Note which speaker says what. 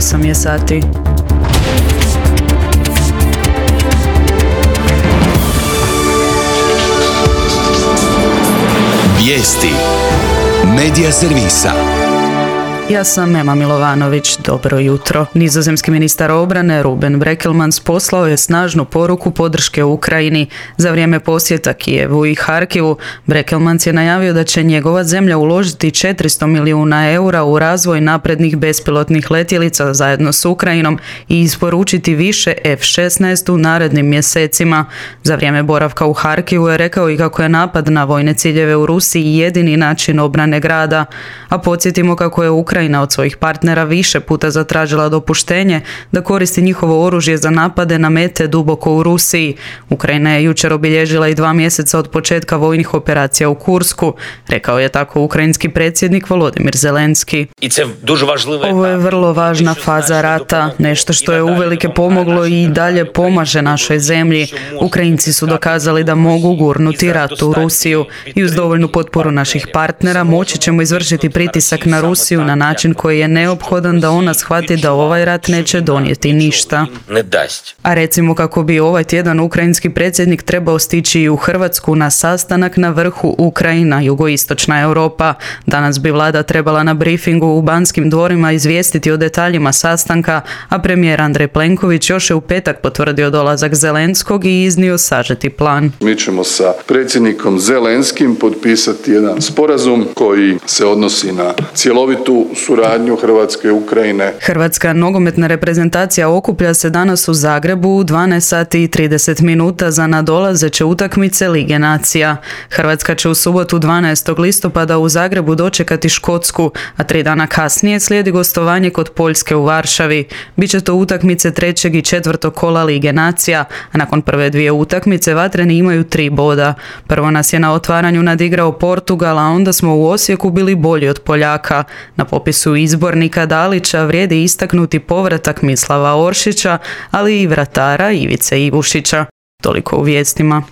Speaker 1: 8 je sati.
Speaker 2: Vijesti Medija servisa.
Speaker 1: Ja sam Ema Milovanović, dobro jutro. Nizozemski ministar obrane Ruben Brekelmans poslao je snažnu poruku podrške Ukrajini. Za vrijeme posjeta Kijevu i Harkivu, Brekelmans je najavio da će njegova zemlja uložiti 400 milijuna eura u razvoj naprednih bespilotnih letjelica zajedno s Ukrajinom i isporučiti više F-16 u narednim mjesecima. Za vrijeme boravka u Harkivu je rekao i kako je napad na vojne ciljeve u Rusiji jedini način obrane grada. A podsjetimo kako je Ukrajina od svojih partnera više puta zatražila dopuštenje da koristi njihovo oružje za napade na mete duboko u Rusiji. Ukrajina je jučer obilježila i 2 mjeseca od početka vojnih operacija u Kursku, rekao je tako ukrajinski predsjednik Volodymyr Zelenski. Ovo je vrlo važna faza rata, nešto što je uvelike pomoglo i dalje pomaže našoj zemlji. Ukrajinci su dokazali da mogu gurnuti rat u Rusiju i uz dovoljnu potporu naših partnera moći ćemo izvršiti pritisak na Rusiju na način koji je neophodan da ona shvati da ovaj rat neće donijeti ništa. A recimo kako bi ovaj tjedan ukrajinski predsjednik trebao stići i u Hrvatsku na sastanak na vrhu Ukrajina, jugoistočna Europa. Danas bi vlada trebala na briefingu u Banskim dvorima izvijestiti o detaljima sastanka, a premijer Andrej Plenković još je u petak potvrdio dolazak Zelenskog i iznio sažeti plan.
Speaker 3: Mi ćemo sa predsjednikom Zelenskim potpisati jedan sporazum koji se odnosi na cjelovitu suradnju Hrvatske i Ukrajine.
Speaker 1: Hrvatska nogometna reprezentacija okuplja se danas u Zagrebu u 12 sati i 30 minuta za nadolazeće utakmice Lige nacija. Hrvatska će u subotu 12. listopada u Zagrebu dočekati Škotsku, a 3 dana kasnije slijedi gostovanje kod Poljske u Varšavi. Biće to utakmice 3. i 4. kola Lige nacija, a nakon prve 2 utakmice vatreni imaju 3 boda. Prvo nas je na otvaranju nadigrao Portugal, a onda smo u Osijeku bili bolji od Poljaka. Na popisu izbornika Dalića vrijedi istaknuti povratak Mislava Oršića, ali i vratara Ivice Ivušića. Toliko u vijestima.